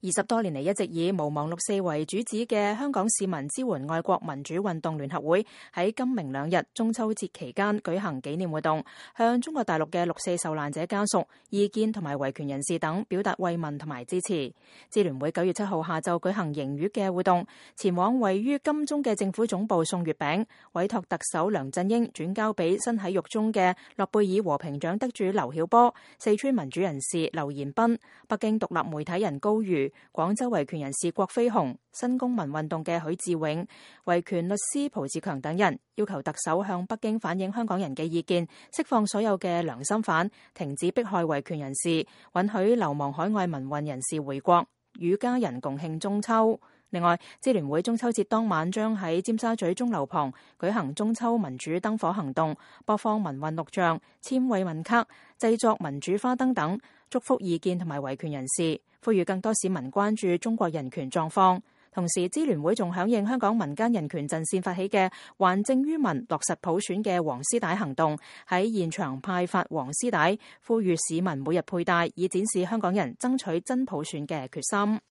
20多年嚟一直以毋忘六四為主旨嘅香港市民支援愛國民主運動聯合會喺今明兩日中秋節期間舉行紀念活動，向中國大陸嘅六四受難者家屬、異見同埋維權人士等表達慰問同埋支持。支聯會9月7號下晝舉行迎月嘅活動，前往位於金鐘嘅政府總部送月餅，委託特首梁振英轉交俾身喺獄中嘅諾貝爾和平獎得主劉曉波、四川民主人士劉延斌、北京獨立媒體人高瑜、廣州維權人士郭飛雄、新公民運動嘅許志永、維權律師蒲志強等人，要求特首向北京反映香港人嘅意見，釋放所有嘅良心犯，停止迫害維權人士，允許流亡海外民運人士回國，與家人共慶中秋。另外，支聯會中秋節當晚將喺尖沙咀鐘樓旁舉行中秋民主燈火行動，播放民運錄像、簽慰問卡、製作民主花燈等，祝福異見同埋維權人士，呼籲更多市民關注中國人權狀況。同時，支聯會仲響應香港民間人權陣線發起嘅還政於民、落實普選嘅黃絲帶行動，喺現場派發黃絲帶，呼籲市民每日佩戴，以展示香港人爭取真普選嘅決心。